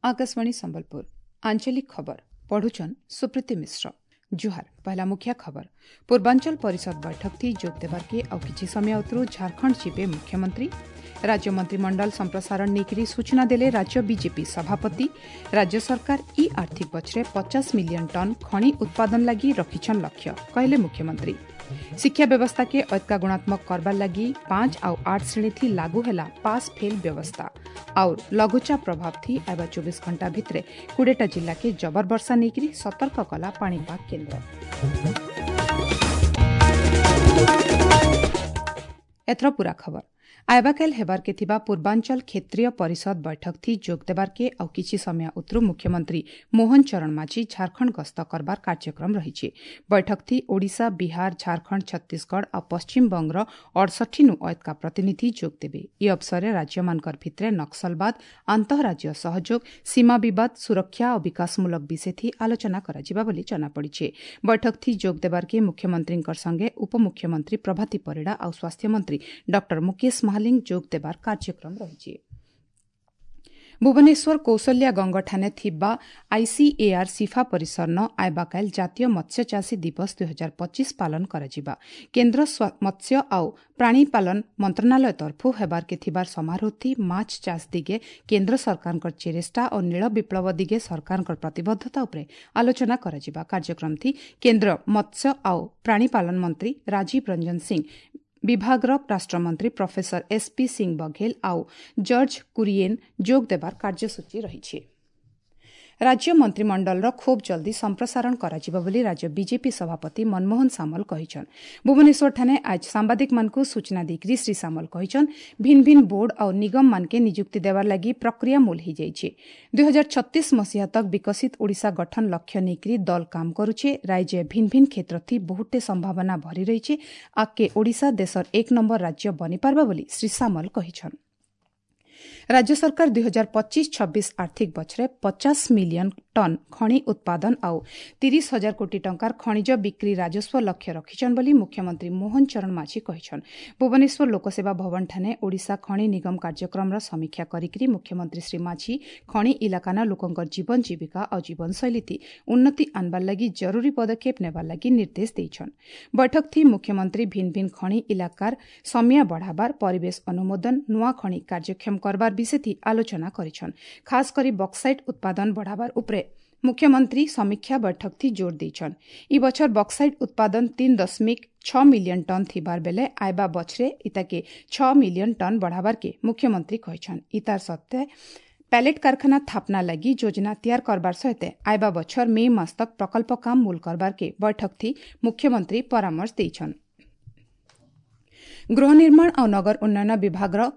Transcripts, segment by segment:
आकाशवाणी संबलपुर आंचलिक खबर पढ़ुछन सुप्रीति मिश्र। जुहार। पहला मुख्य खबर। पूर्वांचल परिषद बैठक थी जोग देवार के आउ किछि समय उतरू झारखंड जिबे मुख्यमंत्री। राज्य मंत्रिमंडल संप्रसारण नेकरी सूचना देले राज्य बीजेपी सभापति। राज्य सरकार इ आर्थिक बछरे 50 मिलियन टन खनि उत्पादन लागि रखिछन लक्ष्य, कहले मुख्यमंत्री। शिक्षा व्यवस्था के अत्का गुणात्मक करबार लागि 5 आउ 8 श्रेणी थी लागू ହେଲା पास फेल व्यवस्था। और लघुचाप प्रभाव थी आबा 24 घंटा भितरे 20टा जिला के जबर वर्षा नेकरी सतर्क कला पाणीपाग केंद्र। एथर पूरा खबर। आयबाकाल हेबार के थिबा पूर्वांचल क्षेत्रीय परिषद बैठक थी जोग देबार के आउ किछि समय उतरू मुख्यमंत्री मोहन चरण माझी झारखंड गस्त करबार कार्यक्रम रहिछि। बैठक थी ओडिशा, बिहार, झारखंड, छत्तीसगढ़ आ पश्चिम बंगर 68 नु अयतका प्रतिनिधि जोग देबे। इ अवसरे राज्यमानकर भितरे नक्सलवाद, आन्तঃराज्य सहयोग, सीमा विवाद, सुरक्षा और विकासमूलक विषय थी आलोचना कराजिबा बोली जना पड़िছে। बैठक थी जोग देबार के मुख्यमंत्रीकर संगे उपमुख्यमंत्री प्रभाती परिडा आउ स्वास्थ्य मंत्री डॉक्टर मुकेश महालिंग जोग देबार कार्यक्रम रहिछि। भुवनेश्वर कौशल्या गंगठाने थिबा आईसीएआर सिफा परिसर न आयबाकाल जातीय मत्स्य चाषी दिवस 2025 पालन कराजिबा। केंद्र मत्स्य आउ प्राणीपालन मंत्रणालय तरफु हेबार के थिबार समारोह थी माछ चाष दिगे केंद्र सरकारकर चेरेष्टा और नील विप्लव दिगे सरकारकर प्रतिबद्धता उपरे आलोचना कराजिबा। कार्यक्रम थी केंद्र मत्स्य आउ प्राणीपालन मंत्री राजीव रंजन सिंह, विभागर राष्ट्रमंत्री प्रोफेसर एसपी सिंह बघेल आउ जर्ज कुरिएन जोग देबार କାର୍ଯ୍ୟସୂଚୀ ରହିଛି। राज्य मंत्रिमंडलर खूब जल्दी संप्रसारण କରାଯିବ ବୋଲି राज्य बीजेपी सभापति मनमोहन सामल କହିଛନ୍। भुवनेश्वर ठाने आज सांबादिक मानକୁ सूचना ଦେଇକରି श्री सामल କହିଛନ୍, ଭିନ୍ ଭିନ୍ ବୋର୍ଡ ଆଉ ନିଗମ ମାନକେ ନିଯୁକ୍ତି ଦେବାର ଲାଗି ପ୍ରକ୍ରିୟା ମୂଲ ହେଇଯାଇଛି। 2036 ମସିହା ତକ ବିକଶିତ ଓଡ଼ିଶା ଗଠନ ଲକ୍ଷ୍ୟ ନେଇକରି ଦଲ କାମ କରୁଛେ। ରାଜ୍ୟ ଭିନ୍ ଭିନ୍ କ୍ଷେତ୍ର ଥି ବହୁଟେ ସମ୍ଭାବନା ଭରି ରହିଛି। ଆଗକେ ଓଡ଼ିଶା ଦେଶର 1 ନମ୍ବର ରାଜ୍ୟ ବନିପାରବା ବୋଲି ଶ୍ରୀ ସାମଲ କହିଛନ୍। राज्य सरकार 2025-26 आर्थिक बछरे 50 मिलियन टन खनि उत्पादन आउ 30,000 कोटी टंकार खनिज बिक्री राजस्व लक्ष्य रखिछन बोली मुख्यमंत्री मोहन चरण माझी कहिछन। भुवनेश्वर लोकसेवा भवन ठाने ओडिशा खनि निगम कार्यक्रमर समीक्षा करिकरी मुख्यमंत्री श्री माझी खनि इलाकाना लोकंकर जीवन जीविका आउ जीवनशैली थी उन्नति आनबार लागि जरूरी पदक्षेप नेबार लागि निर्देश देइछन। बैठक थी मुख्यमंत्री भिन भिन खनि इलाकार समय बढ़ाबार, परिवेश अनुमोदन, नुआ खनि कार्यक्षम करबार विषय थी आलोचना करिछन। खास करी बक्साइट उत्पादन बढ़ाबार उपरे मुख्यमंत्री समीक्षा बैठक थी जोर देइछन। इ बछर बक्साइट उत्पादन 3.6 मिलियन टन थिबार बेले आयबा बछरे इताके 6 मिलियन टन बढ़ाबार के मुख्यमंत्री कहिछन। इतार सत्ते पैलेट कारखाना थापना लगी योजना तैयार करबार सहित आयबा बछर मे मास तक प्रकल्प काम मूल करबार के बैठक थी मुख्यमंत्री परामर्श देइछन। गृह निर्माण और नगर उन्नयन विभागर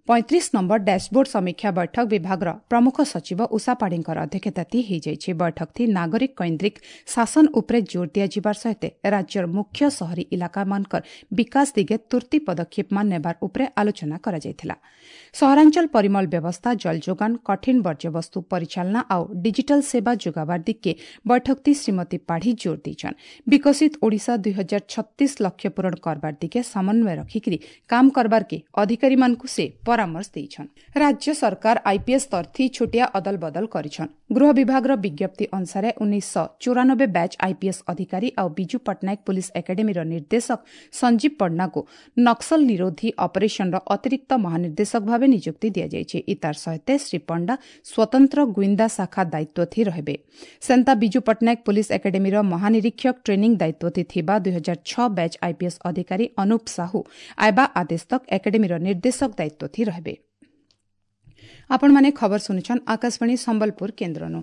35 नंबर डैशबोर्ड समीक्षा बैठक विभागर प्रमुख सचिव उषा पाढ़ीकर अध्यक्षता ହେଇଯାଇଛି। बैठक थी नागरिक कैन्द्रिक शासन उपरे जोर दियाଯିବାର सहित राज्यर मुख्य शहरी इलाका मानकर विकास दिगे तुर्ती पदक्षेप मान नेबार उपरे आलोचना କରାଯାଇଥିଲା। ସହରାଞ୍ଚଳ ପରିମଳ ବ୍ୟବସ୍ଥା, ଜଳ ଯୋଗାଣ, କଠିନ ବର୍ଜ୍ୟବସ୍ତୁ ପରିଚାଳନା ଆଉ ଡିଜିଟାଲ ସେବା ଯୋଗାବାର ଦିଗକେ ବୈଠକ ଥି ଶ୍ରୀମତୀ ପାଢ଼ୀ ଜୋର ଦେଇଛନ୍। ବିକଶିତ ଓଡ଼ିଶା 2036 ଲକ୍ଷ୍ୟ ପୂରଣ କରବାର ଦିଗେ ସମନ୍ୱୟ ରଖିକରି କାମ କରବାର କେ ଅଧିକାରୀମାନଙ୍କୁ ସେ ପରାମର୍ଶ ଦେଇଛନ୍। राज्य सरकार आईपीएस ତରଥି ଛୋଟିଆ ଅଦଲ ବଦଲ କରିଛନ୍। ଗୃହ ବିଭାଗର ବିଜ୍ଞପ୍ତି ଅନୁସାରେ 1994 ବ୍ୟାଚ୍ ଆଇପିଏସ୍ ଅଧିକାରୀ ଆଉ ବିଜୁ ପଟ୍ଟନାୟକ ପୁଲିସ ଏକାଡେମୀର ନିର୍ଦ୍ଦେଶକ ସଞ୍ଜୀବ ପଣ୍ଡାଙ୍କୁ ନକ୍ସଲ ନିରୋଧୀ ଅପରେସନର ଅତିରିକ୍ତ ମହାନିର୍ଦ୍ଦେଶକ ଭାବେ ନିଯୁକ୍ତି ଦିଆଯାଇଛି। ଇତାର ସହିତ ଶ୍ରୀ ପଣ୍ଡା ସ୍ୱତନ୍ତ୍ର ଗୁଇନ୍ଦା ଶାଖା ଦାୟିତ୍ୱ ଥି ରହିବେ। ସେନ୍ତା ବିଜୁ ପଟ୍ଟନାୟକ ପୁଲିସ ଏକାଡେମୀର ମହାନିରୀକ୍ଷକ ଟ୍ରେନିଂ ଦାୟିତ୍ୱ ଥି ଥିବା 2006 ବ୍ୟାଚ୍ ଆଇପିଏସ୍ ଅଧିକାରୀ ଅନୁପ ସାହୁ ଆଇବା ଆଦେଶ ତକ ଏକାଡେମୀର ନିର୍ଦ୍ଦେଶକ ଦାୟିତ୍ୱ ଥି ରହିବେ। ଆପଣମାନେ ଖବର ଶୁଣୁଛନ୍ ଆକାଶବାଣୀ ସମ୍ବଲପୁର କେନ୍ଦ୍ରନୁ।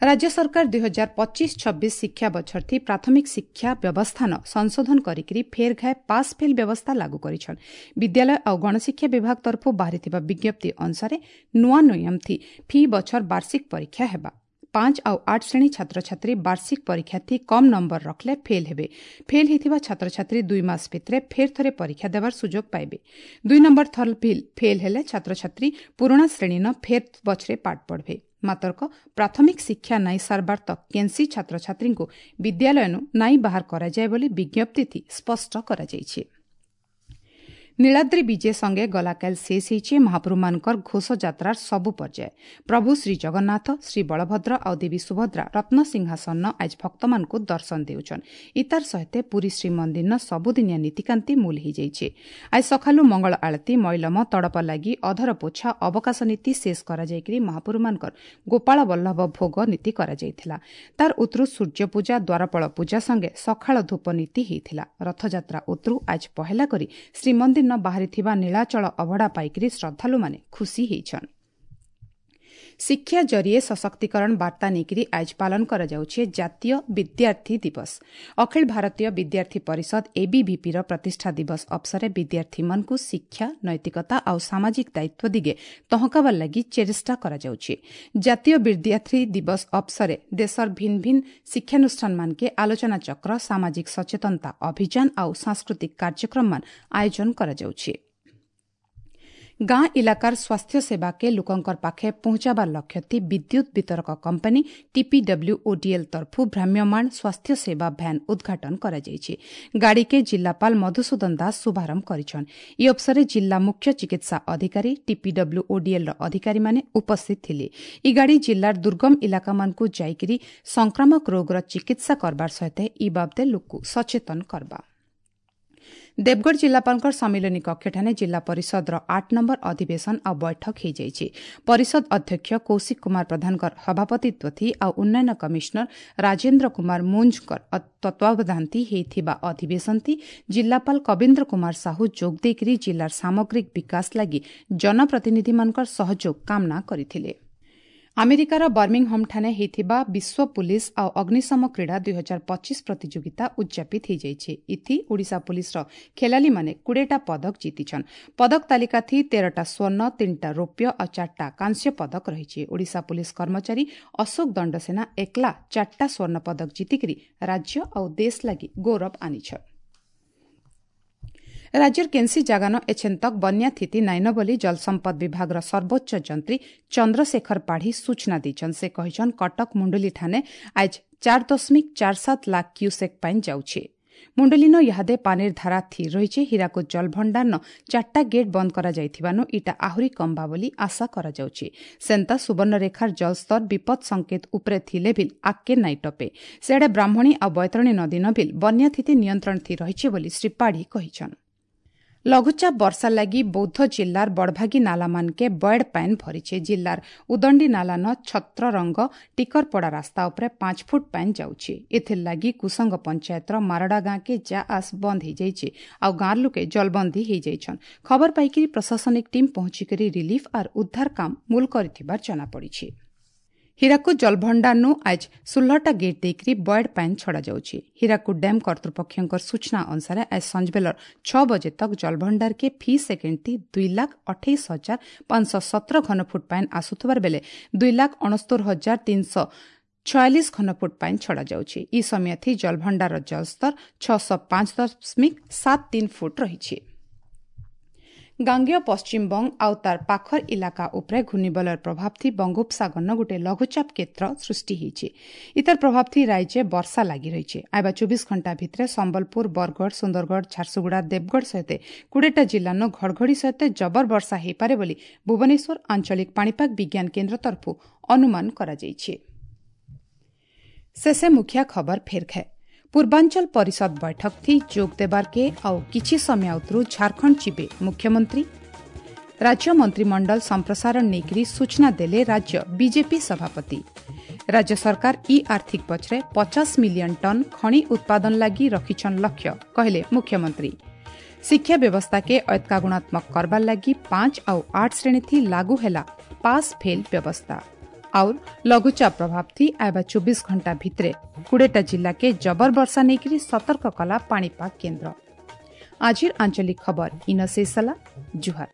राज्य सरकार 2025-26 शिक्षा बछर थी प्राथमिक शिक्षा व्यवस्थान संशोधन करिकरी फेर घाय पास फेल व्यवस्था लागू करिछन। विद्यालय और गणशिक्षा विभाग तरफु बाहरिଥିବା विज्ञप्ति अनुसारे नुआ नियम थी फी बछर वार्षिक परीक्षा हेबा। 5 आउ 8 श्रेणी छात्रछात्री वार्षिक परीक्षा थी कम नंबर रखले फेल हेबे। फेल हेथिबा छात्रछात्री 2 मास भितरे फेर थरे परीक्षा देबार सुযোগ पाइबे। 2 नंबर थर फेल हेले छात्रछात्री पुराणा श्रेणी न फेर बछरे पाठ पढ़बे। मात्रक प्राथमिक शिक्षा नाई सारबार तक केनसी छात्रछात्रीଙ୍କୁ विद्यालयनु नाई बाहर କରାଯାଏ ବୋଲି ବିଜ୍ଞପ୍ତି ଥି ସ୍ପଷ୍ଟ କରାଯାଇଛି। ନୀଳାଦ୍ରି ବିଜେ ସଙ୍ଗେ ଗଲାକାଲି ଶେଷ ହେଇଛି ମହାପ୍ରଭୁମାନଙ୍କର ଘୋଷଯାତ୍ରାର ସବୁ ପର୍ଯ୍ୟାୟ। ପ୍ରଭୁ ଶ୍ରୀଜଗନ୍ନାଥ, ଶ୍ରୀ ବଳଭଦ୍ର ଆଉ ଦେବୀ ସୁଭଦ୍ରା ରତ୍ନ ସିଂହାସନ ଆଜ ଭକ୍ତମାନଙ୍କୁ ଦର୍ଶନ ଦେଉଛନ୍। ଇତାର ସହିତ ପୁରୀ ଶ୍ରୀମନ୍ଦିରର ସବୁଦିନିଆ ନୀତିକାନ୍ତି ମୂଲ ହେଇଯାଇଛି। ଆজ ସକାଳୁ ମଙ୍ଗଳ ଆଳତୀ, ମଇଲମ, ତଡ଼ପ ଲାଗି, ଅଧର ପୋଛା, ଅବକାଶ ନୀତି ଶେଷ କରାଯାଇକରି ମହାପ୍ରଭୁମାନଙ୍କର ଗୋପାଳ ବଲ୍ଲଭ ଭୋଗ ନୀତି କରାଯାଇଥିଲା। ତାର ଉତରୁ ସୂର୍ଯ୍ୟପୂଜା, ଦ୍ୱାରପଳ ପୂଜା ସଙ୍ଗେ ସକାଳ ଧୂପ ନୀତି ହେଇଥିଲା। ରଥଯାତ୍ରା ଉତରୁ ଆଜ ପହେଲା କରି ଶ୍ରୀମନ୍ଦିର ବାହାରିଥିବା ନୀଳାଚଳ ଅଭଡ଼ା ପାଇକରି ଶ୍ରଦ୍ଧାଳୁମାନେ ଖୁସି ହେଇଛନ୍। ଶିକ୍ଷା ଜରିଏ ସଶକ୍ତିକରଣ ବାର୍ତ୍ତା ନେଇକରି ଆଜ ପାଳନ କରାଯାଉଛି ଜାତୀୟ ବିଦ୍ୟାର୍ଥୀ ଦିବସ। ଅଖିଳ ଭାରତୀୟ ବିଦ୍ୟାର୍ଥୀ ପରିଷଦ ଏବିଭିପିର ପ୍ରତିଷ୍ଠା ଦିବସ ଅବସରରେ ବିଦ୍ୟାର୍ଥୀମାନଙ୍କୁ ଶିକ୍ଷା, ନୈତିକତା ଆଉ ସାମାଜିକ ଦାୟିତ୍ୱ ଦିଗେ ତହକାବାର ଲାଗି ଚେଷ୍ଟା କରାଯାଉଛି। ଜାତୀୟ ବିଦ୍ୟାର୍ଥୀ ଦିବସ ଅବସରରେ ଦେଶର ଭିନ୍ନ ଭିନ୍ନ ଶିକ୍ଷାନୁଷ୍ଠାନମାନକେ ଆଲୋଚନାଚକ୍ର, ସାମାଜିକ ସଚେତନତା ଅଭିଯାନ ଆଉ ସାଂସ୍କୃତିକ କାର୍ଯ୍ୟକ୍ରମମାନ ଆୟୋଜନ କରାଯାଉଛି। ଗାଁ ଇଲାକାର ସ୍ୱାସ୍ଥ୍ୟ ସେବାକେ ଲୋକଙ୍କର ପାଖେ ପହଞ୍ଚାବାର ଲକ୍ଷ୍ୟଥି ବିଦ୍ୟୁତ୍ ବିତରକ କମ୍ପାନୀ ଟିପିଡବ୍ଲ୍ୟୁଓଡିଏଲ୍ ତରଫୁ ଭ୍ରାମ୍ୟମାଣ ସ୍ୱାସ୍ଥ୍ୟ ସେବା ଭ୍ୟାନ୍ ଉଦ୍ଘାଟନ କରାଯାଇଛି। ଗାଡ଼ିକେ ଜିଲ୍ଲାପାଳ ମଧୁସୂଦନ ଦାସ ଶୁଭାରମ୍ଭ କରିଛନ୍। ଏହି ଅବସରରେ ଜିଲ୍ଲା ମୁଖ୍ୟ ଚିକିତ୍ସା ଅଧିକାରୀ, ଟିପିଡବ୍ଲ୍ୟୁଓଡିଏଲ୍ର ଅଧିକାରୀମାନେ ଉପସ୍ଥିତ ଥିଲେ। ଇ ଗାଡ଼ି ଜିଲ୍ଲାର ଦୁର୍ଗମ ଇଲାକାମାନଙ୍କୁ ଯାଇକରି ସଂକ୍ରାମକ ରୋଗର ଚିକିତ୍ସା କରବାର ସହିତ ଇ ବାବଦେ ଲୋକକୁ ସଚେତନ କରବା। ଦେବଗଡ଼ ଜିଲ୍ଲାପାଳଙ୍କ ସମ୍ମିଳନୀ କକ୍ଷଠାରେ ଜିଲ୍ଲା ପରିଷଦର 8 ନମ୍ବର ଅଧିବେଶନ ଆଉ ବୈଠକ ହୋଇଯାଇଛି। ପରିଷଦ ଅଧ୍ୟକ୍ଷ କୌଶିକ କୁମାର ପ୍ରଧାନଙ୍କ ସଭାପତିତ୍ୱ ଥି ଆଉ ଉନ୍ନୟନ କମିଶନର ରାଜେନ୍ଦ୍ର କୁମାର ମୁଞ୍ଜଙ୍କ ତତ୍ତ୍ୱାବଧାନଥି ହୋଇଥିବା ଅଧିବେଶନଥି ଜିଲ୍ଲାପାଳ କବୀନ୍ଦ୍ର କୁମାର ସାହୁ ଯୋଗ ଦେଇକରି ଜିଲ୍ଲାର ସାମଗ୍ରିକ ବିକାଶ ଲାଗି ଜନପ୍ରତିନିଧିମାନଙ୍କ ସହଯୋଗ କାମନା କରିଥିଲେ। ଆମେରିକାର ବର୍ମିଂହମ୍ଠାରେ ହୋଇଥିବା ବିଶ୍ୱ ପୁଲିସ୍ ଆଉ ଅଗ୍ନିଶମ କ୍ରୀଡ଼ା 2025 ପ୍ରତିଯୋଗିତା ଉଦ୍ଯାପିତ ହୋଇଯାଇଛି। ଇଥି ଓଡ଼ିଶା ପୁଲିସ୍ର ଖେଳାଳିମାନେ 20ଟା ପଦକ ଜିତିଛନ୍। ପଦକ ତାଲିକାଥି 13ଟା ସ୍ୱର୍ଣ୍ଣ, 3ଟା ରୌପ୍ୟ ଆଉ 4ଟା କାଂସ୍ୟ ପଦକ ରହିଛି। ଓଡ଼ିଶା ପୁଲିସ୍ କର୍ମଚାରୀ ଅଶୋକ ଦଣ୍ଡସେନା ଏକଲା 4ଟା ସ୍ୱର୍ଣ୍ଣ ପଦକ ଜିତିକରି ରାଜ୍ୟ ଆଉ ଦେଶ ଲାଗି ଗୌରବ ଆନିଛନ୍। ରାଜ୍ୟର କେନ୍ସି ଜାଗାନ ଏଛେନ୍ ତକ୍ ବନ୍ୟା ସ୍ଥିତି ନାଇନ ବୋଲି ଜଳସମ୍ପଦ ବିଭାଗର ସର୍ବୋଚ୍ଚ ଯନ୍ତ୍ରୀ ଚନ୍ଦ୍ରଶେଖର ପାଢ଼ୀ ସୂଚନା ଦେଇଛନ୍। ସେ କହିଛନ୍, କଟକ ମୁଣ୍ଡୁଲିଠାନେ ଆଜ 4.47 ଲାଖ କ୍ୟୁସେକ୍ ପାଣି ଯାଉଛି। ମୁଣ୍ଡୁଲିନ ଇହାଦେ ପାନିର ଧାରା ଥିର ରହିଛି। ହୀରାକୁଦ ଜଳଭଣ୍ଡାରନ 4ଟା ଗେଟ୍ ବନ୍ଦ କରାଯାଇଥିବାନୁ ଇଟା ଆହୁରି କମ୍ବା ବୋଲି ଆଶା କରାଯାଉଛି। ସେନ୍ତା ସୁବର୍ଣ୍ଣରେଖାର ଜଳସ୍ତର ବିପଦ ସଂକେତ ଉପରେ ଥିଲେ ଭିଲ୍ ଆଗ୍କେ ନାଇଁ ଟପେ। ସେଆଡ଼େ ବ୍ରାହ୍ମଣୀ ଆଉ ବୈତରଣୀ ନଦୀନ ଭିଲ୍ ବନ୍ୟା ସ୍ଥିତି ନିୟନ୍ତ୍ରଣ ଥି ରହିଛି ବୋଲି ଶ୍ରୀ ପାଢ଼ୀ କହିଛନ୍। ଲଘୁଚାପ ବର୍ଷା ଲାଗି ବୌଦ୍ଧ ଜିଲ୍ଲାର ବଡ଼ଭାଗୀ ନାଲାମାନକେ ବଏଡ୍ ପାଏନ୍ ଭରିଛେ। ଜିଲ୍ଲାର ଉଦଣ୍ଡି ନାଲାନ ଛତ୍ରରଙ୍ଗ ଟିକରପଡ଼ା ରାସ୍ତା ଉପରେ 5 ଫୁଟ ପାଏନ୍ ଯାଉଛି। ଏଥିର୍ ଲାଗି କୁସଙ୍ଗ ପଞ୍ଚାୟତର ମାରଡ଼ା ଗାଁକେ ଯା ଆସ ବନ୍ଦ ହେଇଯାଇଛି ଆଉ ଗାଁର ଲୋକେ ଜଳବନ୍ଦୀ ହେଇଯାଇଛନ୍। ଖବର ପାଇକରି ପ୍ରଶାସନିକ ଟିମ୍ ପହଞ୍ଚିକରି ରିଲିଫ୍ ଆର୍ ଉଦ୍ଧାର କାମ ମୂଲ କରିଥିବାର ଜଣାପଡ଼ିଛି। ହୀରାକୁଦ ଜଳଭଣ୍ଡାରନୁ ଆଜ 16ଟା ଗେଟ୍ ଦେଇକରି ବଏଡ୍ ପାଏନ୍ ଛଡ଼ାଯାଉଛି। ହୀରାକୁଦ ଡ୍ୟାମ୍ କର୍ତ୍ତୃପକ୍ଷଙ୍କ ସୂଚନା ଅନୁସାରେ ଆଜ ସଞ୍ଜବେଲର 6 ବଜେ ତକ୍ ଜଳଭଣ୍ଡାରକେ ଫି ସେକେଣ୍ଡ 2,28,517 ଘନଫୁଟ ପାଏନ୍ ଆସୁଥିବାର ବେଲେ 2,69,346 ଘନଫୁଟ ପାଏନ୍ ଛଡ଼ାଯାଉଛି। ଇ ସମୟଥି ଜଳଭଣ୍ଡାରର ଜଳସ୍ତର 605.73 ଫୁଟ ରହିଛି। ଗାଙ୍ଗେୟ ପଶ୍ଚିମବଙ୍ଗ ଆଉ ତାର ପାଖର ଇଲାକା ଉପରେ ଘୂର୍ଣ୍ଣିବଳୟର ପ୍ରଭାବ ଥି ବଙ୍ଗୋପସାଗରନ ଗୋଟିଏ ଲଘୁଚାପ କ୍ଷେତ୍ର ସୃଷ୍ଟି ହେଇଛି। ଇତାର ପ୍ରଭାବ ଥି ରାଜ୍ୟ ବର୍ଷା ଲାଗି ରହିଛି। ଆଇବା 24 ଘଣ୍ଟା ଭିତରେ ସମ୍ବଲପୁର, ବରଗଡ଼, ସୁନ୍ଦରଗଡ଼, ଝାରସୁଗୁଡ଼ା, ଦେବଗଡ଼ ସହିତ 20ଟା ଜିଲ୍ଲାନ ଘଡ଼ଘଡ଼ି ସହିତ ଜବର ବର୍ଷା ହେଇପାରେ ବୋଲି ଭୁବନେଶ୍ୱର ଆଞ୍ଚଳିକ ପାଣିପାଗ ବିଜ୍ଞାନ କେନ୍ଦ୍ର ତରଫରୁ ଅନୁମାନ କରାଯାଇଛି। ଶେଷେ ମୁଖିଆ ଖବର ଫେର ଖାଏ। ପୂର୍ବାଞ୍ଚଳ ପରିଷଦ ବୈଠକ ଥି ଯୋଗ ଦେବାର୍କେ ଆଉ କିଛି ସମୟ ଉତରୁ ଝାଡ଼ଖଣ୍ଡ ଯିବେ ମୁଖ୍ୟମନ୍ତ୍ରୀ। ରାଜ୍ୟ ମନ୍ତ୍ରିମଣ୍ଡଳ ସମ୍ପ୍ରସାରଣ ନେଇକରି ସୂଚନା ଦେଲେ ରାଜ୍ୟ ବିଜେପି ସଭାପତି। ରାଜ୍ୟ ସରକାର ଇ ଆର୍ଥିକ ପଛରେ 50 ମିଲିୟନ ଟନ୍ ଖଣି ଉତ୍ପାଦନ ଲାଗି ରଖିଛନ୍ ଲକ୍ଷ୍ୟ, କହିଲେ ମୁଖ୍ୟମନ୍ତ୍ରୀ। ଶିକ୍ଷା ବ୍ୟବସ୍ଥାକେ ଐତିକା ଗୁଣାତ୍ମକ କରବାର ଲାଗି 5 ଆଉ 8 ଶ୍ରେଣୀଥି ଲାଗୁ ହେଲା ପାସ୍ ଫେଲ୍ ବ୍ୟବସ୍ଥା। ଆଉ ଲଘୁଚାପ ପ୍ରଭାବ ଥି ଆଇବା 24 ଘଣ୍ଟା ଭିତରେ 20ଟା ଜିଲ୍ଲାକେ ଜବର ବର୍ଷା ନେଇକରି ସତର୍କ କଲା ପାଣିପାଗ କେନ୍ଦ୍ର। ଆଜିର ଆଞ୍ଚଳିକ ଖବର ଇନ ଶେଷ ହେଲା। ଜୁହାର।